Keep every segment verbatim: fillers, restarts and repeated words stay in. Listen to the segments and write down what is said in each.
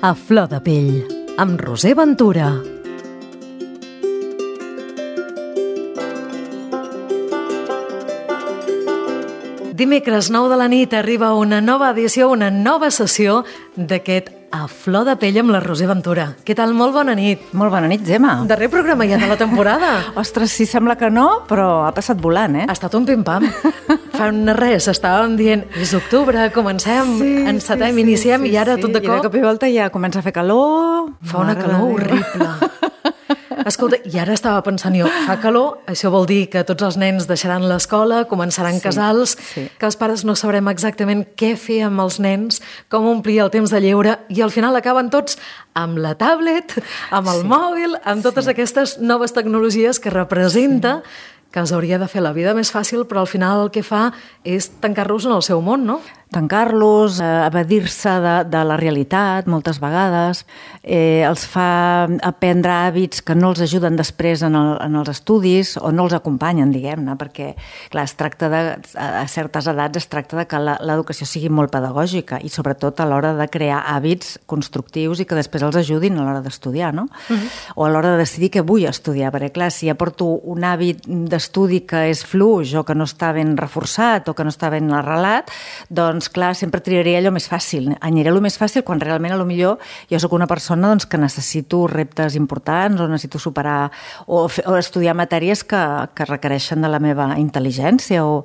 A flor de pell, amb Roser Ventura. Dimecres nou de la nit arriba una nova edició, una nova sessió d'aquest A flor de pell amb la Roser Ventura. Què tal? Molt bona nit. Molt bona nit, Gemma. Darrer programa ja de la temporada. Ostres, sí, sembla que no, però ha passat volant, eh? Ha estat un pim-pam. Fa res, estàvem dient, és octubre, comencem, sí, encetem, sí, iniciem, sí, i ara sí, tot de cop... I de cop i volta ja comença a fer calor... Fa una calor horrible. Escolta, i ara estava pensant jo, fa calor, això vol dir que tots els nens deixaran l'escola, començaran sí, casals, sí. que els pares no sabrem exactament què fer amb els nens, com omplir el temps de lleure, i al final acaben tots amb la tablet, amb el sí. mòbil, amb totes sí. aquestes noves tecnologies que representa sí. que els hauria de fer la vida més fàcil, però al final el que fa és tancar-los en el seu món, no? Tancar-los, eh, evadir-se de, de la realitat moltes vegades, eh, els fa aprendre hàbits que no els ajuden després en, el, en els estudis o no els acompanyen, diguem-ne, perquè clar, es tracta de, a certes edats es tracta de que l'educació sigui molt pedagògica i sobretot a l'hora de crear hàbits constructius i que després els ajudin a l'hora d'estudiar, no? Uh-huh. O a l'hora de decidir què vull estudiar, perquè clar, si ja porto un hàbit d'estudi que és fluix o que no està ben reforçat o que no està ben arrelat, doncs clar, sempre triaré allò més fàcil. Aniré allò més fàcil quan realment a lo millor jo sóc una persona doncs, que necessito reptes importants o necessito superar o, o estudiar matèries que, que requereixen de la meva intel·ligència o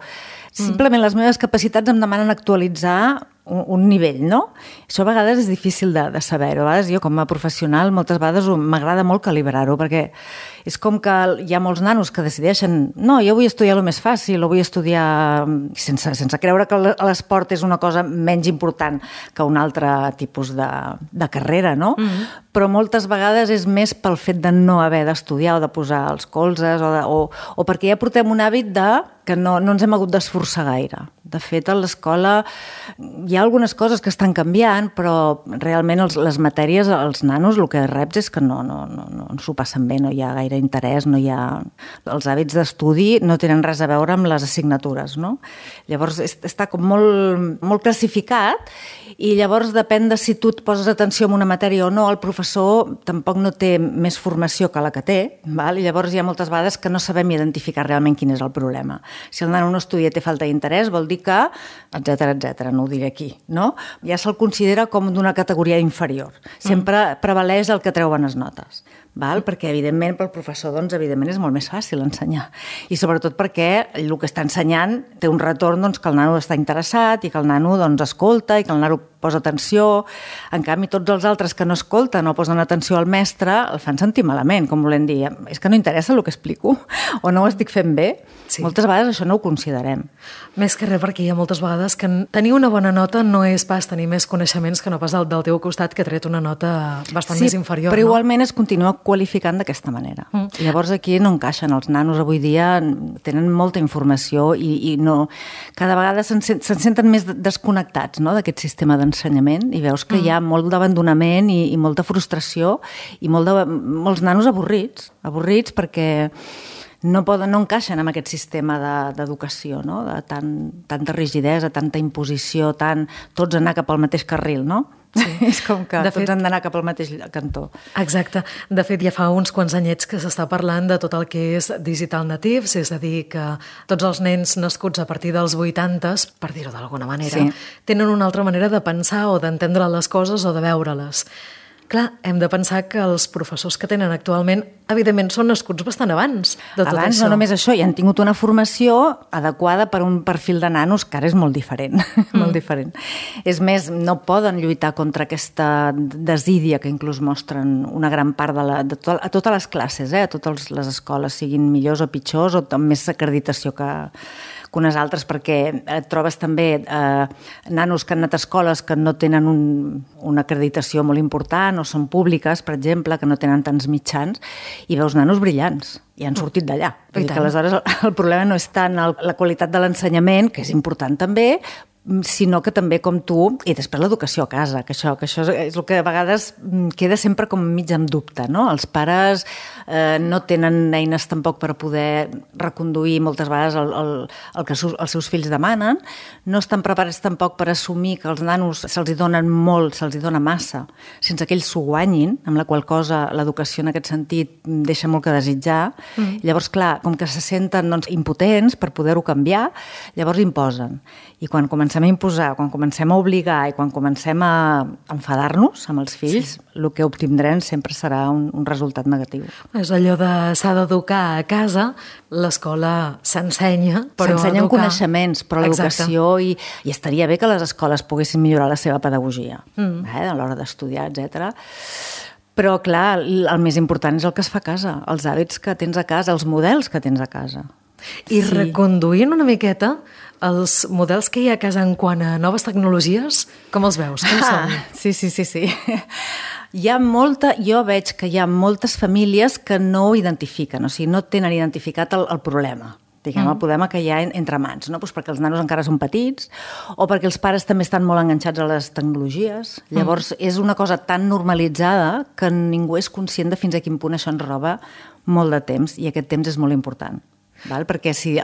simplement les meves capacitats em demanen actualitzar un, un nivell, no? Això a vegades és difícil de, de saber-ho. A vegades jo com a professional moltes vegades m'agrada molt calibrar-ho perquè és com que hi ha molts nanos que decideixen no, jo vull estudiar el més fàcil o vull estudiar sense, sense creure que l'esport és una cosa menys important que un altre tipus de, de carrera, no? Mm-hmm. Però moltes vegades és més pel fet de no haver d'estudiar o de posar els colzes o, de, o, o perquè ja portem un hàbit de que no, no ens hem hagut d'esforçar gaire. De fet, a l'escola hi ha algunes coses que estan canviant, però realment els, les matèries, els nanos, el que reps és que no, no, no, no s'ho passen bé, no hi ha gaire interès, no hi ha... Els hàbits d'estudi no tenen res a veure amb les assignatures, no? Llavors, està com molt, molt classificat i llavors depèn de si tu et poses atenció en una matèria o no, el professor tampoc no té més formació que la que té, val? I llavors hi ha moltes vegades que no sabem identificar realment quin és el problema. Si el nano no estudia i té falta d'interès, vol dir que, etcètera, etcètera, no ho diré aquí, no? Ja se'l considera com d'una categoria inferior. Sempre mm. prevaleix el que treu bones notes, val? Perquè, evidentment, pel professor, doncs, evidentment, és molt més fàcil ensenyar. I sobretot perquè el que està ensenyant té un retorn doncs, que el nano està interessat i que el nano doncs, escolta i que el nano posa atenció. En canvi, tots els altres que no escolten o posen atenció al mestre el fan sentir malament, com volem dir. És que no interessa el que explico o no ho estic fent bé. Sí. Moltes vegades això no ho considerem. Més que res perquè hi ha moltes vegades que tenir una bona nota no és pas tenir més coneixements que no pas del, del teu costat que ha tret una nota bastant sí, més inferior. Però no? Igualment es continua qualificant d'aquesta manera. Mm. Llavors aquí no encaixen. Els nanos avui dia tenen molta informació i, i no, cada vegada se'n se senten més desconnectats, no?, d'aquest sistema d'ensenyament i veus que mm. hi ha molt d'abandonament i, i molta frustració i molt de, molts nanos avorrits, avorrits perquè no poden, no encaixen amb aquest sistema d'educació, de, no? De tant, tanta rigidesa, tanta imposició, tant tots anar cap al mateix carril, no? Sí. És com que de tots fet, han d'anar cap al mateix cantó. Exacte. De fet, ja fa uns quants anyets que s'està parlant de tot el que és digital natives, és a dir, que tots els nens nascuts a partir dels vuitantes, per dir-ho d'alguna manera, sí. tenen una altra manera de pensar o d'entendre les coses o de veure-les. Clar, hem de pensar que els professors que tenen actualment, evidentment, són nascuts bastant abans de tot abans, això. No només això, i han tingut una formació adequada per un perfil de nanos que ara és molt diferent. Mm. molt diferent. És més, no poden lluitar contra aquesta desídia que inclús mostren una gran part de, la, de to, a totes les classes, eh? A totes les escoles, siguin millors o pitjors, o amb més acreditació que... que unes altres, perquè et trobes també eh, nanos que han anat a escoles que no tenen un, una acreditació molt important o són públiques, per exemple, que no tenen tants mitjans, i veus nanos brillants i han sortit d'allà. Vull dir que aleshores el, el problema no és tant el, la qualitat de l'ensenyament, que és important també, sinó que també com tu, i després l'educació a casa, que això, que això és el que a vegades queda sempre com mig en dubte, no? Els pares eh, no tenen eines tampoc per poder reconduir moltes vegades el, el, el que els seus fills demanen, no estan preparats tampoc per assumir que els nanos se'ls hi donen molt, se'ls hi dona massa, sense que ells s'ho guanyin, amb la qual cosa l'educació en aquest sentit deixa molt que desitjar. Mm. Llavors, clar, com que se senten doncs, impotents per poder-ho canviar, llavors imposen. I quan comencem a imposar, quan comencem a obligar i quan comencem a enfadar-nos amb els fills, sí. el que obtindrem sempre serà un, un resultat negatiu. És allò de s'ha d'educar a casa, l'escola s'ensenya, però s'ensenyen educar... coneixements, però l'educació, i, i estaria bé que les escoles poguessin millorar la seva pedagogia, mm. eh, a l'hora d'estudiar, etcètera. Però, clar, el més important és el que es fa a casa, els hàbits que tens a casa, els models que tens a casa. I sí. reconduint una miqueta els models que hi ha a casa en quant a noves tecnologies, com els veus? Com són? Ah, sí, sí, sí, sí. Hi ha molta, jo veig que hi ha moltes famílies que no ho identifiquen, o sigui, no tenen identificat el, el problema. Diguem, mm. el problema que hi ha entre mans, no? Pues perquè els nanos encara són petits o perquè els pares també estan molt enganxats a les tecnologies. Llavors, mm. és una cosa tan normalitzada que ningú és conscient de fins a quin punt això ens roba molt de temps, i aquest temps és molt important. Val? Perquè si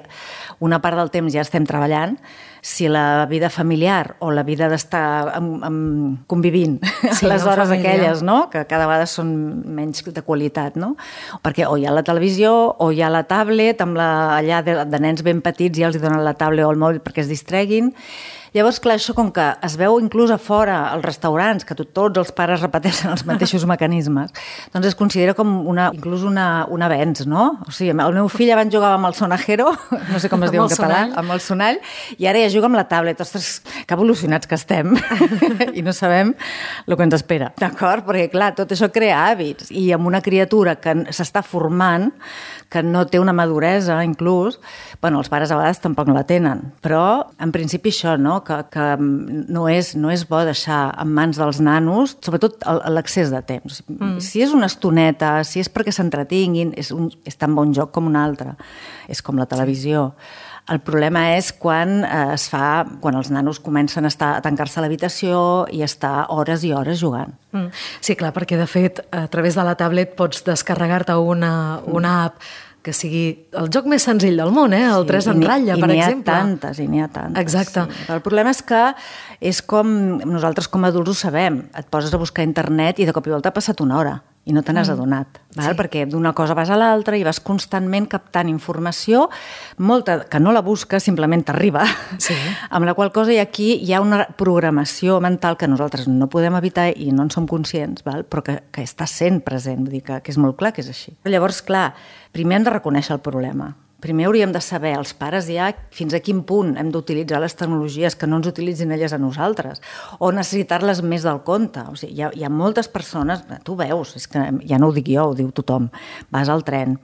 una part del temps ja estem treballant, si la vida familiar o la vida d'estar amb, amb, convivint sí, les hores aquelles, no? Que cada vegada són menys de qualitat, no? Perquè o hi ha la televisió o hi ha la tablet, amb la, allà de, de nens ben petits ja els donen la tablet o el mòbil perquè es distreguin. Llavors, clar, això com que es veu inclús a fora, als restaurants, que tot, tots els pares repeteixen els mateixos mecanismes, doncs es considera com una, inclús una, un avenç, no? O sigui, el meu fill abans jugava amb el sonajero, no sé com es diu en català, amb el sonall, i ara ja juga amb la tablet. Ostres, que evolucionats que estem i no sabem el que ens espera, d'acord? Perquè, clar, tot això crea hàbits, i amb una criatura que s'està formant, que no té una maduresa, inclús, bueno, els pares a vegades tampoc no la tenen, però en principi això, no? Que, que no, és, no és bo deixar en mans dels nanos, sobretot l'excés de temps. Mm. Si és una estoneta, si és perquè s'entretinguin, és, un, és tan bon joc com un altre. És com la televisió. El problema és quan eh, es fa, quan els nanos comencen a, estar, a tancar-se a l'habitació i estar hores i hores jugant. Mm. Sí, clar, perquè de fet a través de la tablet pots descarregar-te una, una app que sigui el joc més senzill del món, eh? el sí, tres en ratlla, per exemple. I n'hi ha tantes, i n'hi ha tantes. Exacte. Sí. El problema és que és com, nosaltres com a adults ho sabem, et poses a buscar a internet i de cop i volta ha passat una hora i no te n'has adonat, val? Sí. Perquè d'una cosa vas a l'altra i vas constantment captant informació, molta que no la busques, simplement t'arriba, sí. amb la qual cosa i aquí hi ha una programació mental que nosaltres no podem evitar i no en som conscients, val? Però que, que està sent present, vull dir que, que és molt clar que és així. Llavors, clar, primer hem de reconèixer el problema. Primer hauríem de saber, els pares ja, fins a quin punt hem d'utilitzar les tecnologies, que no ens utilitzin elles a nosaltres, o necessitar-les més del compte. O sigui, hi ha, hi ha moltes persones, tu veus, és que ja no ho dic jo, ho diu tothom, vas al tren,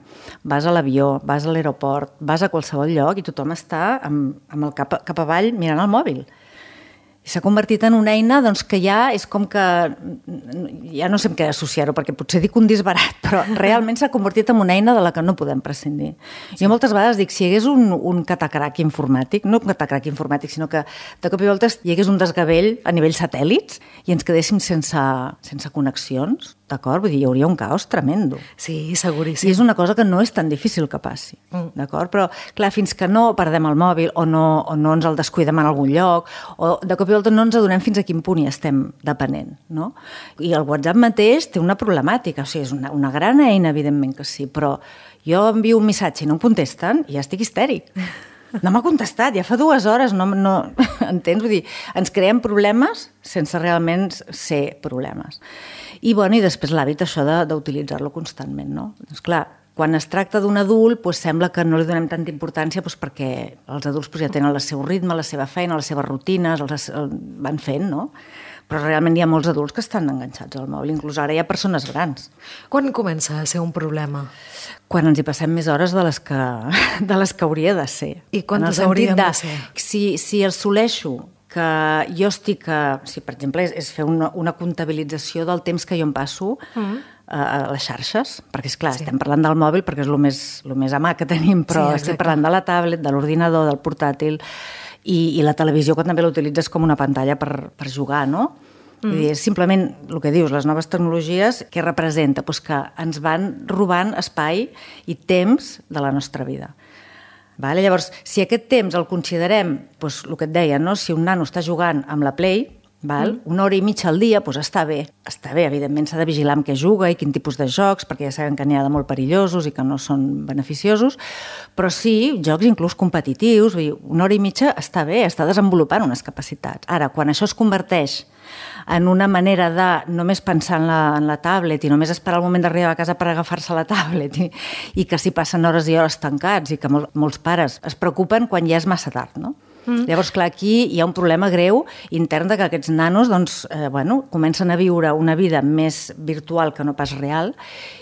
vas a l'avió, vas a l'aeroport, vas a qualsevol lloc i tothom està amb, amb el cap, cap avall mirant el mòbil. I s'ha convertit en una eina doncs, que ja és com que... Ja no sé amb què associar-ho, perquè potser dic un disbarat, però realment s'ha convertit en una eina de la que no podem prescindir. Sí. Jo moltes vegades dic, si hi hagués un, un catacrac informàtic, no un catacrac informàtic, sinó que de cop i volta hi hagués un desgavell a nivell satèl·lits i ens quedéssim sense, sense connexions, d'acord? Vull dir, hi hauria un caos tremendo. Sí, seguríssim. I és una cosa que no és tan difícil que passi, mm. d'acord? Però, clar, fins que no perdem el mòbil o no, o no ens el descuidem en algun lloc, o de cop i volta no ens adonem fins a quin punt hi estem depenent, no? I el WhatsApp mateix té una problemàtica, o sigui, és una, una gran eina, evidentment que sí, però jo envio un missatge i no em contesten i ja estic histèric. No m'ha contestat, ja fa dues hores, no, no... entens? Vull dir, ens creem problemes sense realment ser problemes. I, bueno, i després l'hàbit això de, d'utilitzar-lo constantment, no? Doncs clar, quan es tracta d'un adult, doncs sembla que no li donem tanta importància doncs perquè els adults doncs, ja tenen el seu ritme, la seva feina, les seves rutines, els, el van fent, no? Però realment hi ha molts adults que estan enganxats al mòbil, inclús ara hi ha persones grans. Quan comença a ser un problema? Quan ens hi passem més hores de les que, de les que hauria de ser. I quantes haurien de, de ser? Si, si assoleixo que jo estic... A, si, per exemple, és, és fer una, una comptabilització del temps que jo em passo mm. a, a les xarxes, perquè, esclar, sí. estem parlant del mòbil perquè és el més, el més a mà que tenim, però sí, estem parlant de la tablet, de l'ordinador, del portàtil, I, i la televisió que també l'utilitzes com una pantalla per, per jugar, no? Mm. Vull dir, és simplement el que dius, les noves tecnologies, què representa? Pues que ens van robant espai i temps de la nostra vida. Vale? Llavors, si aquest temps el considerem, pues, el que et deia, no? Si un nano està jugant amb la Play, val? Mm. una hora i mitja al dia, pues està bé. Està bé, evidentment s'ha de vigilar amb què juga i quin tipus de jocs, perquè ja sabem que n'hi ha de molt perillosos i que no són beneficiosos, però sí, jocs inclús competitius, vull dir, una hora i mitja està bé, està desenvolupant unes capacitats. Ara, quan això es converteix en una manera de només pensar en la, en la tablet i només esperar el moment d'arribar a casa per agafar-se la tablet i, i que s'hi passen hores i hores tancats i que mol, molts pares es preocupen quan ja és massa tard, no? Mm. Llavors, clar, aquí hi ha un problema greu intern de que aquests nanos doncs, eh, bueno, comencen a viure una vida més virtual que no pas real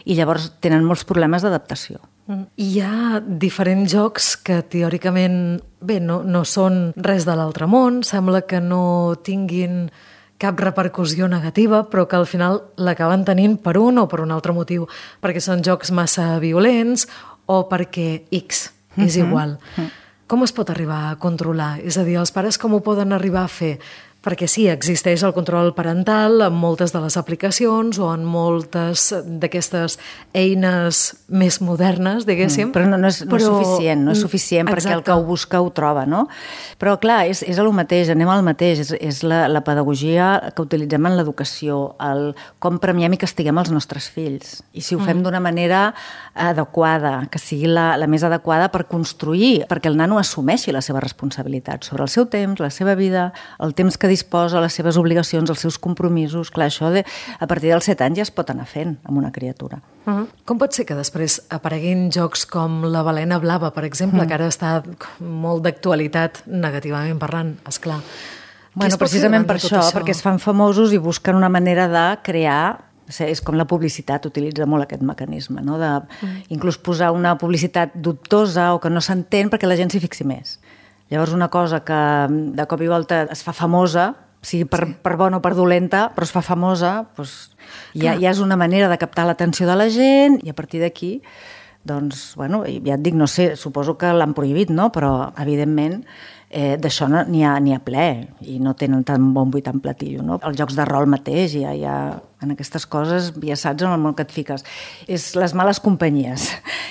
i llavors tenen molts problemes d'adaptació. Mm. Hi ha diferents jocs que teòricament bé, no, no són res de l'altre món, sembla que no tinguin cap repercussió negativa, però que al final l'acaben tenint per un o per un altre motiu, perquè són jocs massa violents o perquè X mm-hmm. és igual. Mm. Com es pot arribar a controlar? És a dir, els pares com ho poden arribar a fer? Perquè sí, existeix el control parental en moltes de les aplicacions o en moltes d'aquestes eines més modernes, diguéssim. Mm, però no, no, és, no però... és suficient, no és suficient Exacte. Perquè el que ho busca ho troba, no? Però clar, és, és el mateix, anem al mateix, és, és la, la pedagogia que utilitzem en l'educació, el com premiem i castiguem els nostres fills. I si ho fem mm. d'una manera adequada, que sigui la, la més adequada per construir, perquè el nano assumeixi la seva responsabilitat sobre el seu temps, la seva vida, el temps que disposa, les seves obligacions, els seus compromisos. Clar, això de, a partir dels set anys ja es pot anar fent amb una criatura. Uh-huh. Com pot ser que després apareguin jocs com la balena blava, per exemple, uh-huh. que ara està molt d'actualitat negativament parlant, esclar. Bueno, precisament per això, això, perquè es fan famosos i busquen una manera de crear. És com la publicitat, utilitza molt aquest mecanisme, no? De uh-huh. inclús posar una publicitat dubtosa o que no s'entén perquè la gent s'hi fixi més. Llavors, una cosa que de cop i volta es fa famosa, sigui per, sí. per bona o per dolenta, però es fa famosa, doncs ja, ja és una manera de captar l'atenció de la gent i a partir d'aquí, doncs, bueno, ja et dic, no sé, suposo que l'han prohibit, no? Però, evidentment, eh, d'això n'hi ha, n'hi ha ple i no tenen tan bon buit en platillo, no? Els jocs de rol mateix, ja, ja, en aquestes coses ja saps en el món que et fiques. És les males companyies.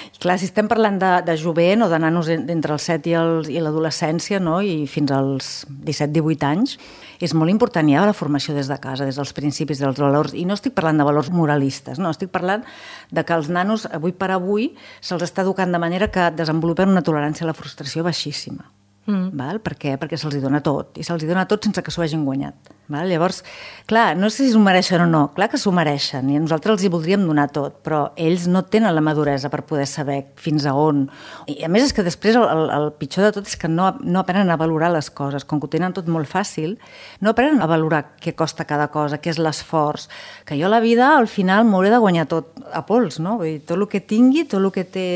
I clar, si estem parlant de, de jovent o de nanos entre els set i, el, i l'adolescència, no? I fins als disset divuit anys, és molt important ja la formació des de casa, des dels principis, dels valors, i no estic parlant de valors moralistes, no, estic parlant de que els nanos, avui per avui, se'ls està educant de manera que desenvolupen una tolerància a la frustració baixíssima. Mm. Val? Per què? Perquè se'ls dona tot, i se'ls dona tot sense que s'ho hagin guanyat. Val? Llavors, clar, no sé si s'ho mereixen o no, clar que s'ho mereixen, i nosaltres els hi voldríem donar tot, però ells no tenen la maduresa per poder saber fins a on. I a més és que després el, el, el pitjor de tot és que no, no aprenen a valorar les coses, com que ho tenen tot molt fàcil, no aprenen a valorar què costa cada cosa, què és l'esforç, que jo a la vida al final m'hauré de guanyar tot a pols, no? Vull dir, tot el que tingui, tot el que té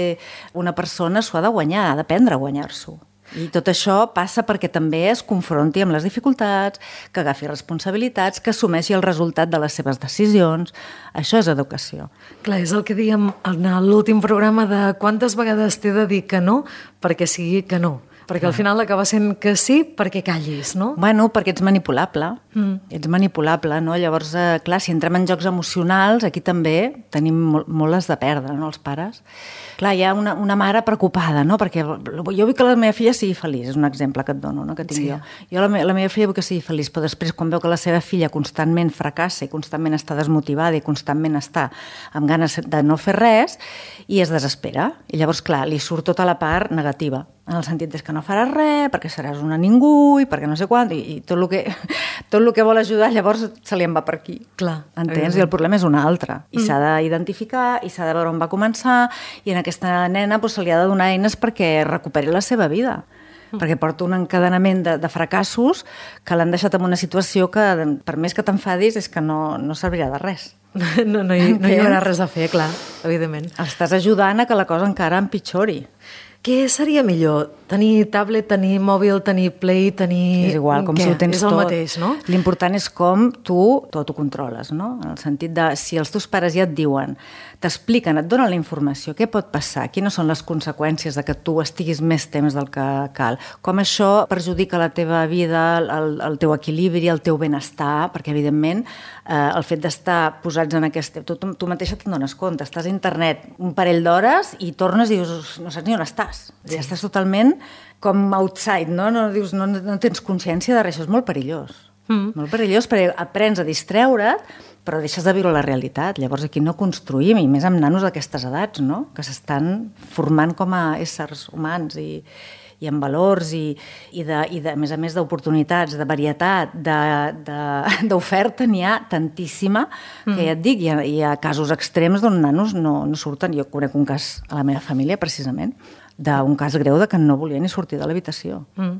una persona s'ho ha de guanyar, ha d'aprendre a guanyar-s'ho. I tot això passa perquè també es confronti amb les dificultats, que agafi responsabilitats, que assumeixi el resultat de les seves decisions. Això és educació. Clar, és el que dèiem en l'últim programa de quantes vegades t'he de dir que no perquè sigui que no. Perquè al final acaba sent que sí perquè callis, no? Bueno, perquè ets manipulable. Mm. Ets manipulable, no? Llavors, eh, clar, si entrem en jocs emocionals, aquí també tenim molt, molt les de perdre, no?, els pares. Clar, hi ha una, una mare preocupada, no?, perquè jo vull que la meva filla sigui feliç, és un exemple que et dono, no?, que tinc sí. jo. Jo la, me, la meva filla vull que sigui feliç, però després quan veu que la seva filla constantment fracassa i constantment està desmotivada i constantment està amb ganes de no fer res, i es desespera. I llavors, clar, li surt tota la part negativa, en el sentit que no faràs res, perquè seràs una ningú i perquè no sé quant, i, i tot el que, tot el que vol ajudar llavors se li en va per aquí. Clar, entens? I el problema és un altre. I mm. s'ha d'identificar, i s'ha de veure on va començar, i en aquesta nena doncs, se li ha de donar eines perquè recuperi la seva vida. Mm. Perquè porta un encadenament de, de fracassos que l'han deixat en una situació que, per més que t'enfadis, és que no, no servirà de res. No, no, hi, no hi haurà res a fer, clar, evidentment. Estàs ajudant a que la cosa encara empitjori. Què seria millor, tenir tablet, tenir mòbil, tenir play, tenir... És igual, com què? si ho tens és el tot. mateix, no? L'important és com tu tot ho controles, no? En el sentit de, si els teus pares ja et diuen, t'expliquen, et donen la informació, què pot passar, quines són les conseqüències de que tu estiguis més temps del que cal, com això perjudica la teva vida, el, el teu equilibri, el teu benestar, perquè evidentment eh, el fet d'estar posats en aquest... Tu, tu, tu mateixa te'n dones compte, estàs a internet un parell d'hores i tornes i dius, no saps ni on estàs. Sí. Ja estàs totalment com outside, no? No, dius, no, no tens consciència de res, això és molt perillós. Mm. Molt perillós perquè aprens a distreure't, però deixes de viure la realitat. Llavors aquí no construïm, i més amb nanos d'aquestes edats, no? Que s'estan formant com a éssers humans i, i amb valors i, i, de, i de, a més a més d'oportunitats, de varietat, d'oferta, n'hi ha tantíssima, que mm. ja et dic, hi ha, hi ha casos extrems d'on nanos no, no surten. Jo conec un cas a la meva família, precisament, d'un cas greu de que no volia ni sortir de l'habitació. Mm.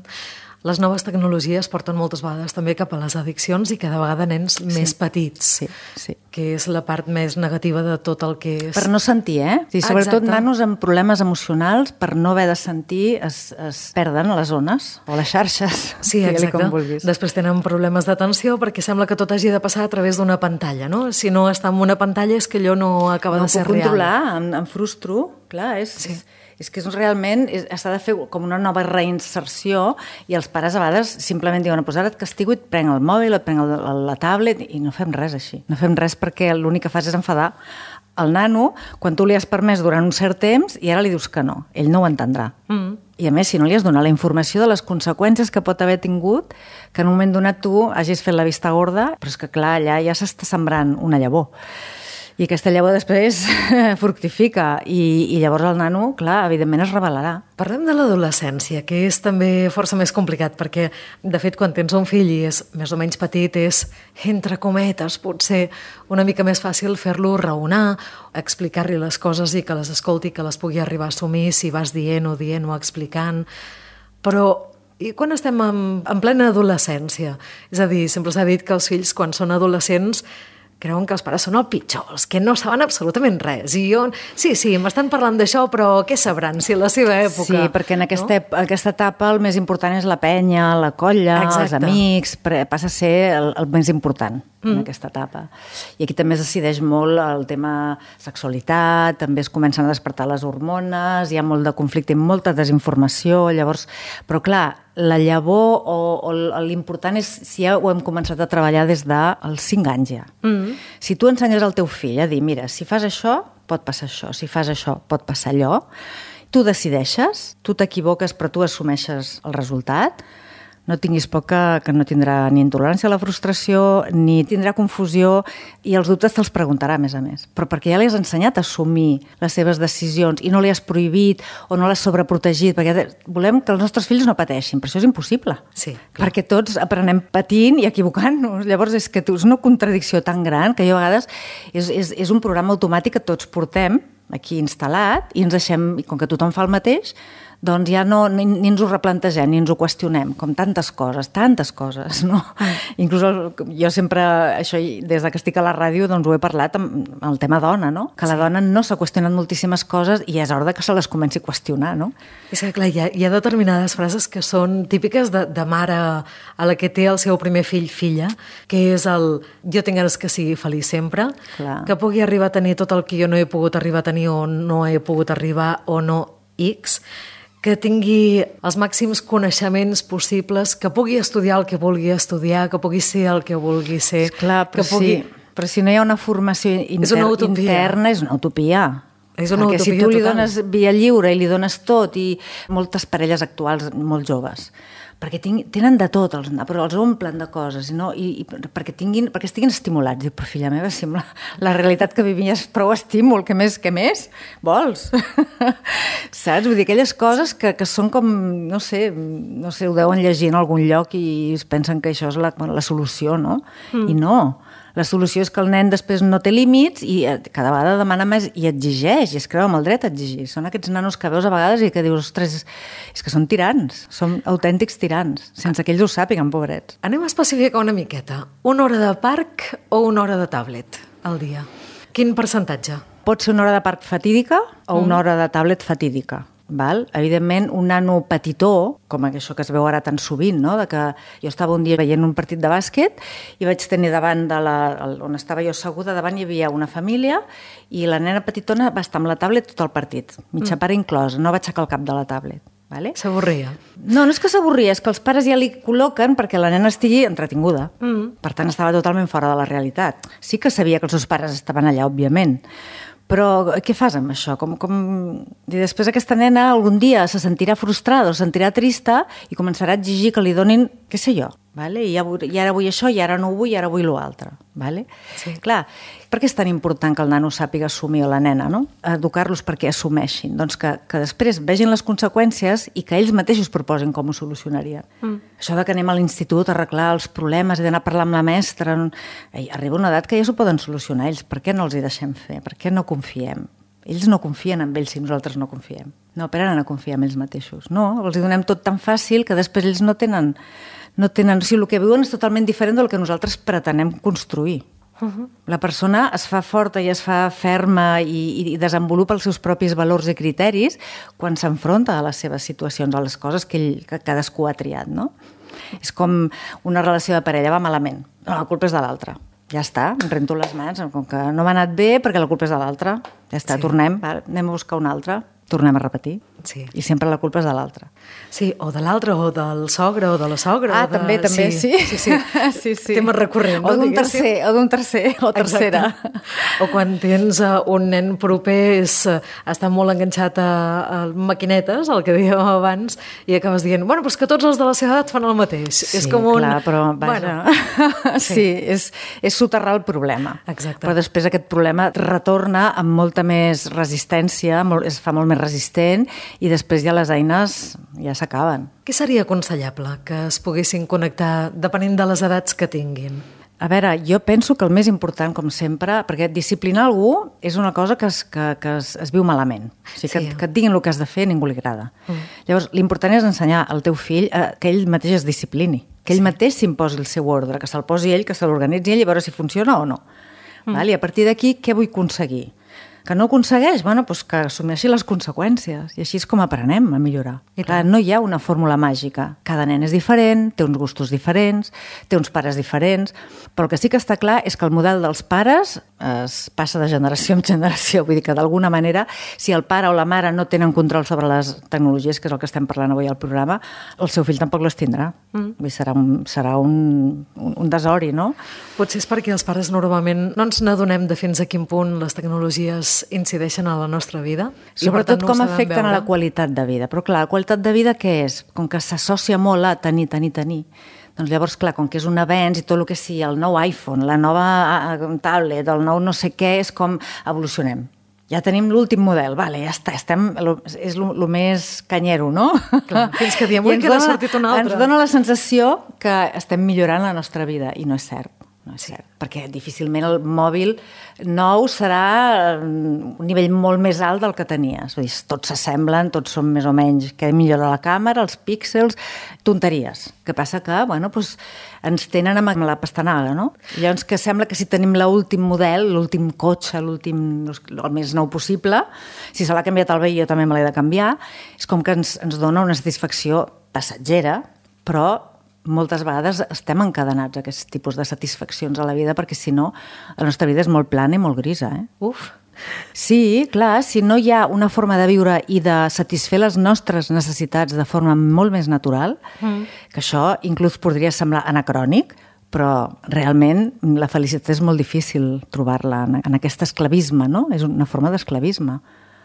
Les noves tecnologies porten moltes vegades també cap a les addiccions i cada vegada nens sí. més petits, sí, sí. que és la part més negativa de tot el que és... Per no sentir, eh? Sí, sobretot Exacte. Nanos amb problemes emocionals, per no haver de sentir, es, es perden a les zones o a les xarxes. Sí, exacte. Després tenen problemes d'atenció perquè sembla que tot hagi de passar a través d'una pantalla, no? Si no està en una pantalla és que allò no acaba no de ser real. No puc controlar, em, em frustro, clar, és... Sí. És que és realment s'ha de fer com una nova reinserció i els pares a vegades simplement diuen pues ara et castigo i et prenc el mòbil, et prenc el, la tablet i no fem res així. No fem res perquè l'únic que fas és enfadar el nano quan tu li has permès durant un cert temps i ara li dius que no. Ell no ho entendrà. Mm. I a més, si no li has donat la informació de les conseqüències que pot haver tingut, que en un moment donat tu hagis fet la vista gorda, però és que clar, allà ja s'està sembrant una llavor. I aquesta llavor després fructifica i, i llavors el nano, clar, evidentment es rebel·larà. Parlem de l'adolescència, que és també força més complicat, perquè, de fet, quan tens un fill i és més o menys petit, és, entre cometes, potser una mica més fàcil fer-lo raonar, explicar-li les coses i que les escolti, que les pugui arribar a assumir, si vas dient o dient o explicant. Però i quan estem en, en plena adolescència? És a dir, sempre s'ha dit que els fills, quan són adolescents, creuen que els pares són el pitjor, els que no saben absolutament res. I jo, sí, sí, m'estan parlant d'això, però què sabran si a la seva època... Sí, perquè en aquesta, no? aquesta etapa el més important és la penya, la colla, Exacte. els amics, passa a ser el, el més important mm. en aquesta etapa. I aquí també es decideix molt el tema sexualitat, també es comencen a despertar les hormones, hi ha molt de conflicte i molta desinformació, llavors... Però clar, la llavor o, o l'important és si ja ho hem començat a treballar des dels cinc anys ja. Mm. Si tu ensenyes al teu fill a dir, mira, si fas això, pot passar això, si fas això, pot passar allò, tu decideixes, tu t'equivoques però tu assumeixes el resultat, no tinguis por que, que no tindrà ni intolerància a la frustració, ni tindrà confusió, i els dubtes te'ls preguntarà, a més a més. Però perquè ja li has ensenyat a assumir les seves decisions i no li has prohibit o no l'has sobreprotegit, perquè volem que els nostres fills no pateixin, però això és impossible. Sí, clar. Perquè tots aprenem patint i equivocant-nos. Llavors és que és una contradicció tan gran que jo a vegades és, és, és un programa automàtic que tots portem aquí instal·lat i ens deixem, i com que tothom fa el mateix, doncs ja no, ni, ni ens ho replantegem, ni ens ho qüestionem, com tantes coses, tantes coses, no? Mm. Inclús el, jo sempre, això des que estic a la ràdio, doncs ho he parlat amb el tema dona, no? Que la sí. dona no s'ha qüestionat moltíssimes coses i és hora que se les comenci a qüestionar, no? És que, clar, hi ha, hi ha determinades frases que són típiques de, de mare a la que té el seu primer fill, filla, que és el jo tinc ganes que sigui feliç sempre, clar. Que pugui arribar a tenir tot el que jo no he pogut arribar a tenir o no he pogut arribar o no X, que tingui els màxims coneixements possibles, que pugui estudiar el que vulgui estudiar, que pugui ser el que vulgui ser. Esclar, però, que pugui... sí, però si no hi ha una formació inter... és una interna, és una utopia. És una Perquè utopia si tu li total. dones via lliure i li dones tot, i moltes parelles actuals molt joves, perquè ting, tenen de tot, els, però els omplen de coses, no? I, i perquè, tinguin, perquè estiguin estimulats. Dic, però filla meva, sembla la realitat que vivim és prou estímul, què més, què més vols? Saps? Vull dir, aquelles coses que, que són com, no sé, no sé, ho deuen llegir en algun lloc i es pensen que això és la, la solució, no? Mm. I no. La solució és que el nen després no té límits i cada vegada demana més i exigeix, i es creu amb el dret a exigir. Són aquests nanos que veus a vegades i que dius, ostres, és que són tirans, són autèntics tirans, sense que ells ho sàpiguen, pobrets. Anem a especificar una miqueta. Una hora de parc o una hora de tablet al dia? Quin percentatge? Pot ser una hora de parc fatídica o una hora de tablet fatídica. val? Evidentment, un nano petitó, com això que es veu ara tan sovint, no? De que jo estava un dia veient un partit de bàsquet i vaig tenir davant de la, on estava jo asseguda, davant hi havia una família i la nena petitona va estar amb la tablet tot el partit, mitja mm. part inclosa, no va aixecar el cap de la tablet. Vale? S'avorria. No, no és que s'avorria, és que els pares ja li col·loquen perquè la nena estigui entretinguda. Mm. Per tant, estava totalment fora de la realitat. Sí que sabia que els seus pares estaven allà, òbviament, però què fas amb això? Com, com... I després aquesta nena algun dia se sentirà frustrada o se sentirà trista i començarà a exigir que li donin, què sé jo, vale? I, ja vull, i ara vull això, i ara no ho vull, i ara vull l'altre. Vale? Sí. Clar, per què és tan important que el nano sàpiga assumir, o la nena, no? Educar-los perquè assumeixin. Doncs que, que després vegin les conseqüències i que ells mateixos proposin com ho solucionarien. Mm. Això de que anem a l'institut a arreglar els problemes i d'anar a parlar amb la mestra... Ei, arriba una edat que ja s'ho poden solucionar ells. Per què no els hi deixem fer? Per què no confiem? Ells no confien en ells si nosaltres no confiem. No aprenen a confiar en ells mateixos. No, els hi donem tot tan fàcil que després ells no tenen... No tenen, o sigui, el que viuen és totalment diferent del que nosaltres pretenem construir. Uh-huh. La persona es fa forta i es fa ferma i, i desenvolupa els seus propis valors i criteris quan s'enfronta a les seves situacions, a les coses que, ell, que cadascú ha triat, no? És com una relació de parella, va malament. No, la culpa és de l'altre. Ja està, em rento les mans, com que no m'ha anat bé perquè la culpa és de l'altre. Ja està, sí. Tornem, va, anem a buscar un altre, tornem a repetir. Sí. I sempre la culpa és de l'altre. Sí, o de l'altre, o del sogre, o de la sogra. Ah, o de... també, també, sí. Sí, sí. sí, sí. Tema recurrent, no? O d'un tercer, o d'un tercer, o tercera. Exacte. O quan tens uh, un nen proper, és, uh, està molt enganxat a, a maquinetes, el que dèiem abans, i acabes dient, bueno, però és que tots els de la seva edat fan el mateix. Sí, és com un... clar, però vaja... Bueno, sí, sí és, és soterrar el problema. Exacte. Però després aquest problema retorna amb molta més resistència, molt, es fa molt més resistent, i després ja les eines ja s'acaben. Què seria aconsellable que es poguessin connectar depenent de les edats que tinguin? A veure, jo penso que el més important, com sempre, perquè disciplinar algú és una cosa que es, que, que es, es viu malament. O sigui, que, sí. que et diguin el que has de fer ningú li agrada. Mm. Llavors, l'important és ensenyar al teu fill eh, que ell mateix es disciplini, que ell sí. mateix s'imposi el seu ordre, que se'l posi ell, que se l'organitzi ell i veure si funciona o no. Mm. Val? I a partir d'aquí, què vull aconseguir? Que no aconsegueix? Bueno, doncs que assumeixi les conseqüències. I així és com aprenem a millorar. I clar, no hi ha una fórmula màgica. Cada nen és diferent, té uns gustos diferents, té uns pares diferents, però el que sí que està clar és que el model dels pares es passa de generació en generació. Vull dir que d'alguna manera, si el pare o la mare no tenen control sobre les tecnologies, que és el que estem parlant avui al programa, el seu fill tampoc les tindrà. Mm. Vull dir, serà, un, serà un, un, un desori, no? Potser és perquè els pares normalment no ens n'adonem de fins a quin punt les tecnologies incideixen a la nostra vida. Sobretot no com afecten veure. A la qualitat de vida. Però clar, la qualitat de vida què és? Com que s'associa molt a tenir, tenir, tenir. Doncs llavors, clar, com que és un avenç i tot el que sigui, el nou iPhone, la nova tablet, el nou no sé què, és com evolucionem. Ja tenim l'últim model, vale, ja està, estem, és el més canyero, no? Clar, fins que diem, ui, que n'ha sortit un altre. Ens dona la sensació que estem millorant la nostra vida, i no és cert. No és cert, perquè difícilment el mòbil nou serà un nivell molt més alt del que tenies. Vull dir, tots s'assemblen, tots són més o menys que millora la càmera, els píxels, tonteries. Que passa que, bueno, doncs, ens tenen amb la pastanaga, no? I llavors que sembla que si tenim l'últim model, l'últim cotxe, l'últim, el més nou possible, si se l'ha canviat el veí jo també me l'he de canviar, és com que ens, ens dona una satisfacció passatgera, però moltes vegades estem encadenats a aquest tipus de satisfaccions a la vida perquè si no, la nostra vida és molt plana i molt grisa. Eh? Uf! Sí, clar, si no hi ha una forma de viure i de satisfer les nostres necessitats de forma molt més natural, mm. que això inclús podria semblar anacrònic, però realment la felicitat és molt difícil trobar-la en aquest esclavisme, no? És una forma d'esclavisme.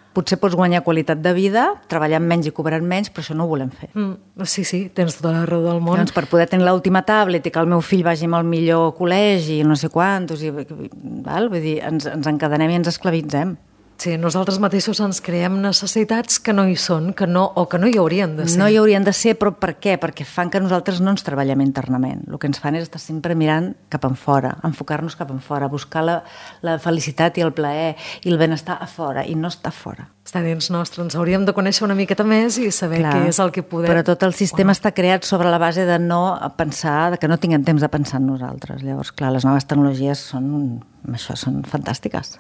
Potser pots guanyar qualitat de vida, treballant menys i cobrant menys, però això no ho volem fer. Mm, sí, sí, tens tota la raó del món. Doncs per poder tenir l'última tablet i que el meu fill vagi amb el millor col·legi, no sé quantos, i, val? Vull dir, ens, ens encadenem i ens esclavitzem. Sí, nosaltres mateixos ens creem necessitats que no hi són, que no, o que no hi haurien de ser. No hi haurien de ser, però per què? Perquè fan que nosaltres no ens treballem internament. El que ens fan és estar sempre mirant cap enfora, enfocar-nos cap enfora, buscar la, la felicitat i el plaer i el benestar a fora, i no està fora. Està dins nostre, ens hauríem de conèixer una miqueta més i saber Clar, què és el que podem... Però tot el sistema bueno. Està creat sobre la base de no pensar, de que no tinguem temps de pensar en nosaltres. Llavors, clar, les noves tecnologies són, això, són fantàstiques.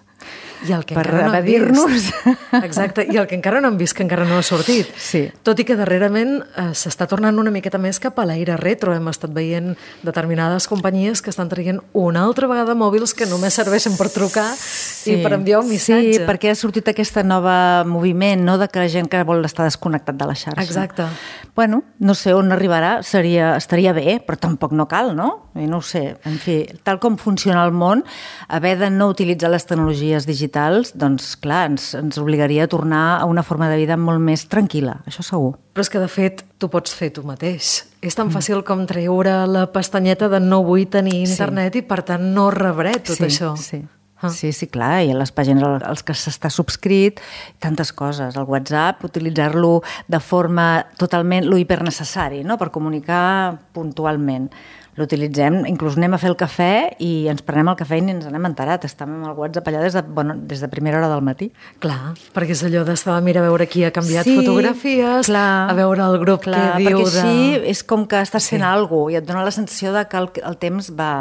I el que per encara no hem evadir-nos. vist. Exacte, i el que encara no hem vist, que encara no ha sortit. Sí. Tot i que darrerament eh, s'està tornant una miqueta més cap a l'aire retro. Hem estat veient determinades companyies que estan traient una altra vegada mòbils que només serveixen per trucar sí. i per enviar un missatge. Sí, perquè ha sortit aquesta nova moviment, no?, de que la gent que vol estar desconnectat de la xarxa. Exacte. Bueno, no sé on arribarà, seria, estaria bé, però tampoc no cal, no? I no ho sé. En fi, tal com funciona el món, haver de no utilitzar les tecnologies digitals, doncs clar, ens, ens obligaria a tornar a una forma de vida molt més tranquil·la, això segur. Però és que, de fet, tu pots fer tu mateix. És tan fàcil com treure la pestanyeta de no vull tenir internet sí. i, per tant, no rebré tot sí, això. Sí, ah. sí, sí, clar, i a les pàgines als que s'està subscrit, tantes coses. El WhatsApp, utilitzar-lo de forma totalment lo hipernecessari, no?, per comunicar puntualment. L'utilitzem, inclús anem a fer el cafè i ens prenem el cafè i ni ens n'hem enterat. Estem amb el WhatsApp allà des de, bueno, des de primera hora del matí. Clar, perquè és allò d'estar a mirar a veure qui ha canviat sí, fotografies, clar, a veure el grup clar, que diu de... Perquè així és com que estàs fent sí. alguna cosa i et dona la sensació de que el, el temps va...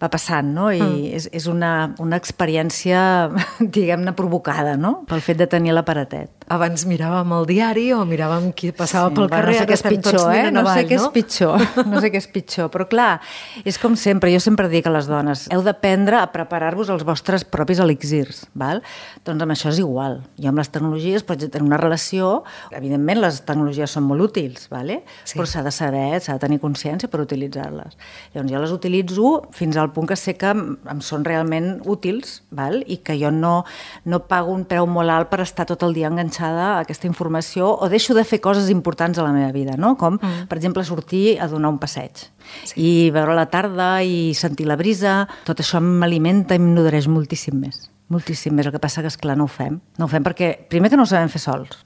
va passant, no? I mm. és, és una, una experiència, diguem-ne, provocada, no?, pel fet de tenir l'aparatet. Abans miràvem el diari o miràvem qui passava sí, pel bueno, carrer, no sé què és pitjor, eh? No avall, sé què no? és pitjor, no sé què és pitjor, però clar, és com sempre, jo sempre dic a les dones, heu d'aprendre a preparar-vos els vostres propis elixirs, val? Doncs amb això és igual. Jo amb les tecnologies pots tenir una relació, evidentment les tecnologies són molt útils, vale? Sí. Però s'ha de saber, s'ha de tenir consciència per utilitzar-les. Llavors jo les utilitzo fins al punt que sé que em són realment útils, val? I que jo no, no pago un preu molt alt per estar tot el dia enganxada a aquesta informació o deixo de fer coses importants a la meva vida, no? Com, mm. per exemple, sortir a donar un passeig sí. i veure la tarda i sentir la brisa. Tot això m'alimenta i em nodreix moltíssim més. Moltíssim més. El que passa que, esclar, no ho fem. No ho fem perquè, primer, que no ho sabem fer sols.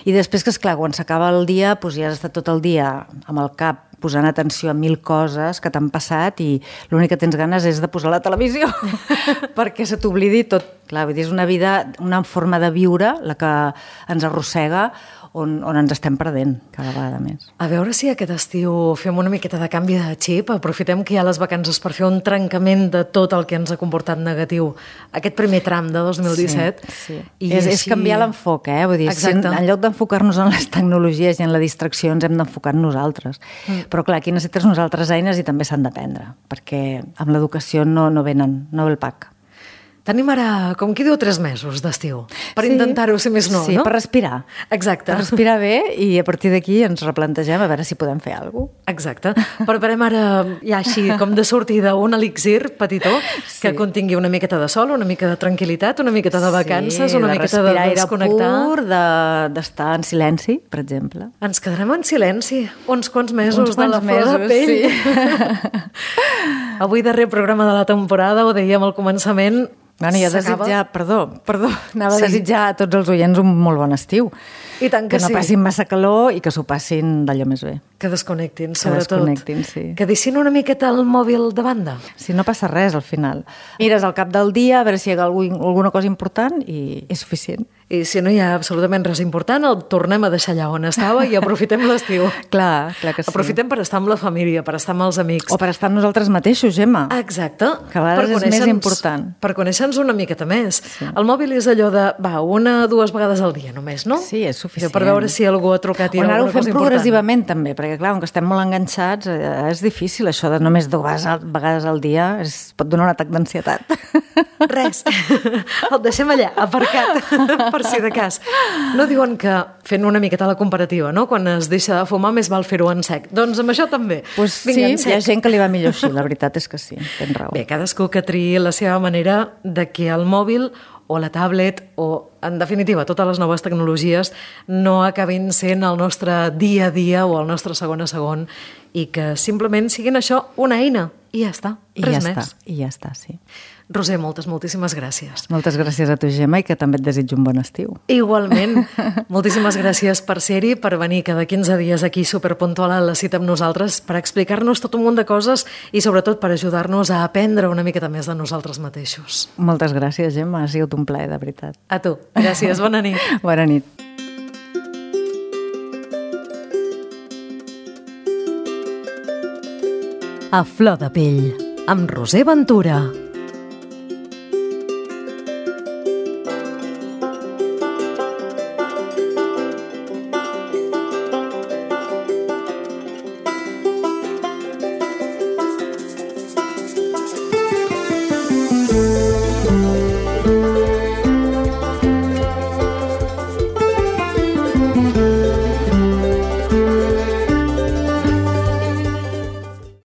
I després que, esclar, quan s'acaba el dia, doncs ja has estat tot el dia amb el cap posant atenció a mil coses que t'han passat i l'únic que tens ganes és de posar la televisió perquè se t'oblidi tot. Clar, vull dir, és una vida, una forma de viure la que ens arrossega on, on ens estem perdent cada vegada més. A veure si aquest estiu fem una miqueta de canvi de xip, aprofitem que hi ha les vacances per fer un trencament de tot el que ens ha comportat negatiu aquest primer tram de dos mil disset. Sí, sí. I és, així... és canviar l'enfoc, eh? Vull dir, si en, en lloc d'enfocar-nos en les tecnologies i en la distracció ens hem d'enfocar en nosaltres. Mm. Però clar, aquí necessites unes altres eines i també s'han d'aprendre, perquè amb l'educació no, no venen, no ve el pack. Tenim ara, com qui diu, tres mesos d'estiu, per sí, intentar-ho, si més no, sí, no? per respirar. Exacte. Per respirar bé i a partir d'aquí ens replantegem a veure si podem fer alguna cosa. Exacte. Preparem ara, ja així, com de sortida, un elixir petitó sí. que contingui una miqueta de sol, una mica de tranquil·litat, una miqueta de vacances, sí, una de miqueta de desconnectar. Pur, de, d'estar en silenci, per exemple. Ens quedarem en silenci uns quants mesos uns quants de la flor de pell. Sí. Avui, darrer programa de la temporada, ho dèiem al començament. Bueno, i a desitjar, perdó, perdó, anava sí. a desitjar a tots els oients un molt bon estiu. I tant que, que no sí. passin massa calor i que s'ho passin d'allò més bé. Que desconnectin, que sobretot. Desconnectin, sí. Que deixin una miqueta el mòbil de banda. Si no passa res, al final. Mires al cap del dia, a veure si hi ha alguna cosa important i és suficient. I si no hi ha absolutament res important, el tornem a deixar allà on estava i aprofitem l'estiu. Clar, clar que sí. Aprofitem per estar amb la família, per estar amb els amics. O per estar amb nosaltres mateixos, Gemma. Exacte. Que a vegades és més important. Per conèixer-nos una miqueta més. Sí. El mòbil és allò de, va, una o dues vegades al dia només, no? Sí, és suficient. Per veure si algú ha trucat i o alguna cosa important. O anar-ho fent progressivament també, perquè clar, com que estem molt enganxats, és difícil això de només dues vegades al dia, es pot donar un atac d'ansietat. Res, el deixem allà, aparcat, per si de cas. No diuen que fent una miqueta la comparativa, no? Quan es deixa de fumar més val fer-ho en sec. Doncs amb això també. Pues Vinga, sí, hi ha gent que li va millor així, la veritat és que sí, tens raó. Bé, cadascú que triï la seva manera de que el mòbil o la tablet o, en definitiva, totes les noves tecnologies no acabin sent el nostre dia a dia o el nostre segon a segon i que simplement siguin això una eina i ja està, res I ja més. Està, I ja està, sí. Roser, moltes, moltíssimes gràcies. Moltes gràcies a tu, Gemma, i que també et desitjo un bon estiu. Igualment. Moltíssimes gràcies per ser-hi, per venir cada quinze dies aquí superpuntual a la cita amb nosaltres, per explicar-nos tot un munt de coses i sobretot per ajudar-nos a aprendre una miqueta més de nosaltres mateixos. Moltes gràcies, Gemma, ha sigut un plaer, de veritat. A tu. Gràcies, bona nit. Bona nit. A flor de pell, amb Roser Ventura.